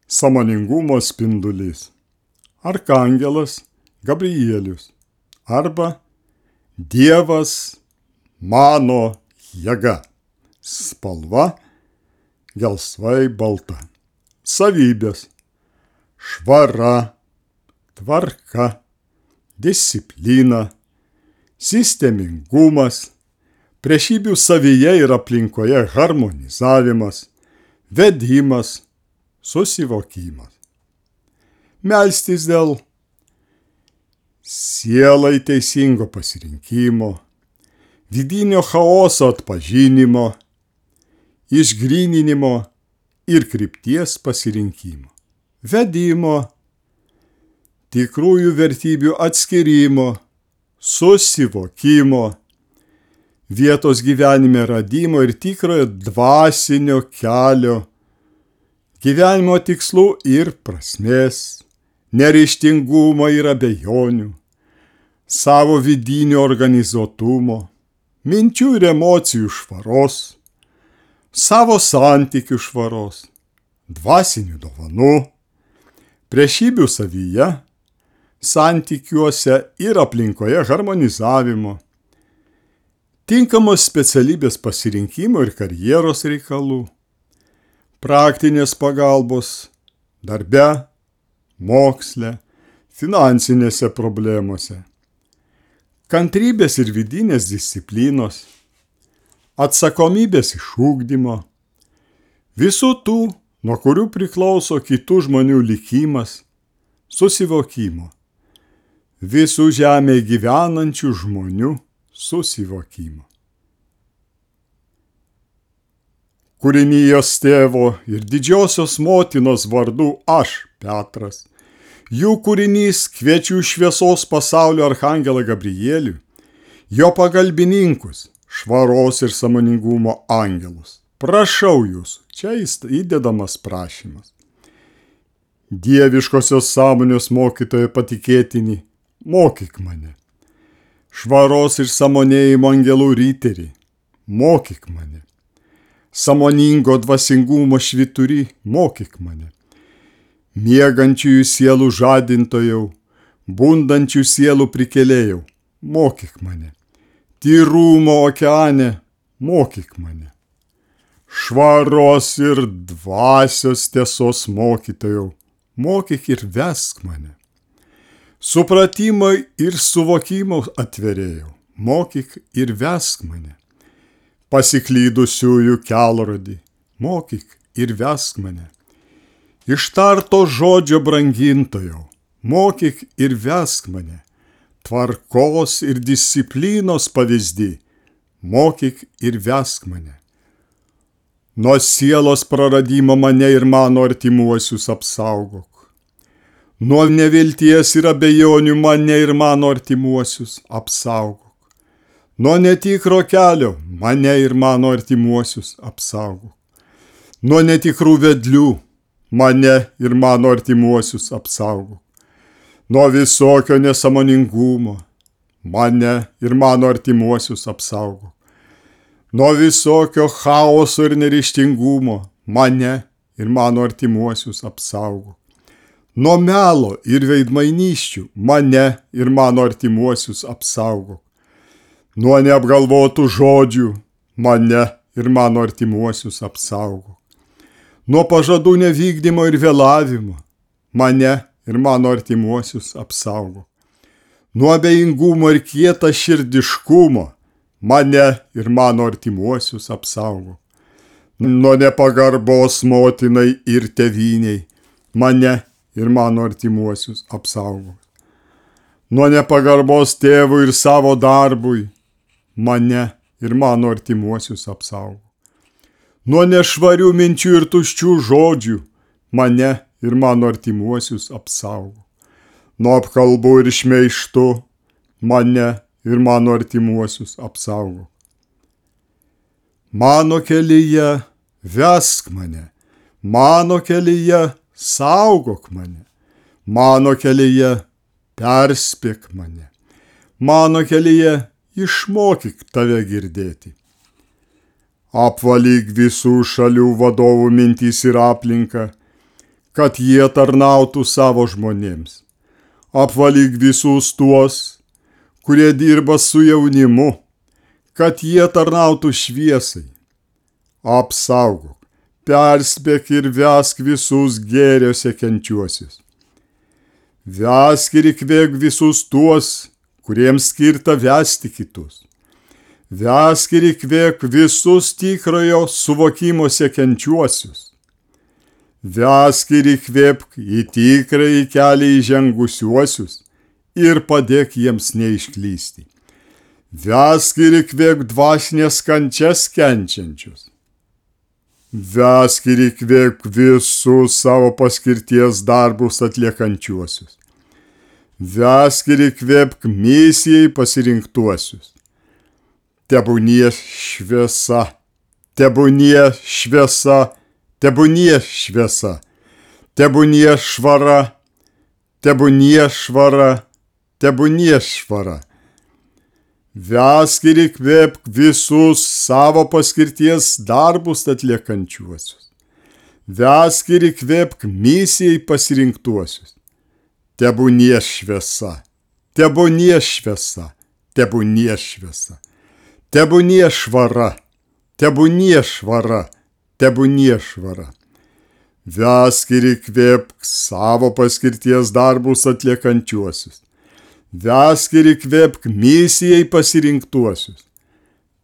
sąmoningumo spindulys, arkangelas Gabrielius arba Dievas mano jėga, spalva gelsvai balta, savybės, švara, tvarka, disciplina, sistemingumas, priešybių savyje ir aplinkoje harmonizavimas, vedimas, susivokimas. Melstis dėl sielai teisingo pasirinkimo, vidinio chaoso atpažinimo, išgryninimo ir krypties pasirinkimo, vedimo, tikrųjų vertybių atskirimo, susivokimo, vietos gyvenime radimo ir tikrojo dvasinio kelio, gyvenimo tikslų ir prasmės, neryžtingumo ir abejonių, savo vidinio organizuotumo, minčių ir emocijų švaros, savo santykių švaros, dvasinių dovanų, priešybių savyje, santykiuose ir aplinkoje harmonizavimo, tinkamos specialybės pasirinkimo ir karjeros reikalų, praktinės pagalbos darbe, moksle, finansinėse problemose, kantrybės ir vidinės disciplinos, atsakomybės išugdymo, visų tų, nuo kurių priklauso kitų žmonių likimas, susivokimo, visų žemėje gyvenančių žmonių susivokimo. Kūrinijos tėvo ir didžiosios motinos vardu aš, Petras, jų kūrinys kviečiu šviesos pasaulio arkangelą Gabrielių, jo pagalbininkus, švaros ir sąmoningumo angelus. Prašau jūsų, čia įdedamas prašymas. Dieviškosios sąmonės mokytojo patikėtinį, mokyk mane. Švaros ir sąmonėjimo angelų ryterį, mokyk mane. Sąmoningo dvasingumo švyturį, mokyk mane. Miegančiųjų sielų žadintojau, bundančių sielų prikėlėjau, mokyk mane. Tyrumo okeane, mokyk mane. Švaros ir dvasios tiesos mokytojau, mokyk ir vesk mane. Supratimo ir suvokimo atverėjau, mokyk ir vesk mane. Pasiklydusiųjų kelrodį, mokyk ir vesk mane. Ištarto žodžio brangintojau, mokyk ir vesk mane. Tvarkos ir disciplinos pavyzdį, mokyk ir vesk mane. Nuo sielos praradimo mane ir mano artimuosius apsaugok. Nuo nevilties ir abejonių mane ir mano artimuosius apsaugok. Nuo netikro kelio mane ir mano artimuosius apsaugok. Nuo netikrų vedlių mane ir mano artimuosius apsaugok. Nuo visokio nesąmoningumo mane ir mano artimuosius apsaugok. Nuo visokio chaoso ir neryžtingumo mane ir mano artimuosius apsaugok. Nuo melo ir veidmainysčių mane ir mano artimuosius apsaugok. Nuo neapgalvotų žodžių mane ir mano artimuosius apsaugok. Nuo pažadų nevykdymo ir vėlavimo mane ir mano artimuosius apsaugok. Nuo abejingumo ir kieta širdiškumo mane ir mano artimuosius apsaugok. Nuo nepagarbos motinai ir tėvyniai mane ir mano artimuosius apsaugok. Nuo nepagarbos tėvui ir savo darbui mane ir mano artimuosius apsaugok. Nuo nešvarių minčių ir tuščių žodžių mane ir mano artimuosius apsaugok. Nuo apkalbų ir šmeižtų mane ir mano artimuosius apsaugok. Mano kelyje vesk mane, mano kelyje saugok mane, mano kelyje perspėk mane, mano kelyje išmokyk tave girdėti. Apvalyk visų šalių vadovų mintis ir aplinką, kad jie tarnautų savo žmonėms. Apvalyk visus tuos, kurie dirba su jaunimu, kad jie tarnautų šviesai. Apsaugok, perspėk ir vesk visus gėrio siekiančiuosius. Vesk ir įkvėpk visus tuos, kuriems skirta vesti kitus. Vesk ir įkvėpk visus tikrojo suvokimo siekiančiuosius. Vesk ir įkvėpk į tikrąjį kelią įžengusiuosius ir padėk jiems neišklysti. Vesk ir įkvėpk dvasinės kančias kenčiančius. Vesk ir įkvėpk visus savo paskirties darbus atliekančiuosius. Vesk ir įkvėpk misijai pasirinktuosius. Tebūnie šviesa, tebūnie šviesa, tebūnie šviesa, tebūnie švara, tebūnie švara, tebūnie švara. Vesk ir įkvėpk visus savo paskirties darbus atliekančiuosius. Vesk ir įkvėpk misijai pasirinktuosius. Tebūnie šviesa, tebūnie šviesa, tebūnie šviesa, tebūnie švara, tebūnie švara, tebūnie švara. Vesk ir įkvėpk savo paskirties darbus atliekančiuosius. Vesk ir įkvėpk misijai pasirinktuosius.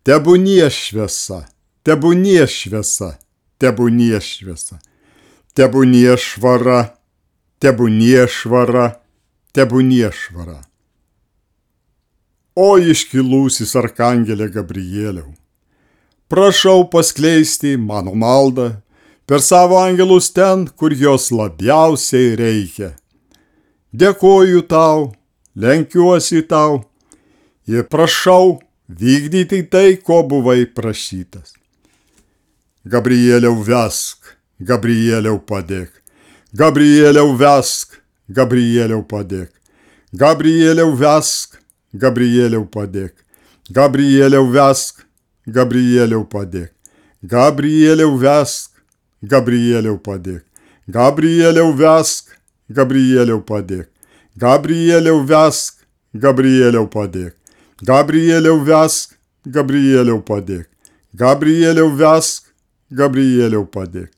Tebūnie šviesa, tebūnie šviesa, tebūnie šviesa, tebūnie švara, tebūnie švara, tebūnie švara. O iškilusis arkangelė Gabrieliau, prašau paskleisti mano maldą per savo angelus ten, kur jos labiausiai reikia. Dėkoju tau, lenkiuosi tau ir prašau vykdyti tai, ko buvai prašytas. Gabrieliau vesk, Gabrieliau padėk. Gabrieliau vesk, Gabrieliau padėk. Gabrieliau vesk, Gabrieliau padėk. Gabrieliau vesk, Gabrieliau padėk. Gabrieliau vesk, Gabrieliau padėk. Gabrieliau vesk, Gabrieliau padėk. Gabrieliau vesk, Gabrieliau padėk. Gabrieliau vesk, Gabrieliau padėk. Gabrieliau vesk, Gabrieliau padėk.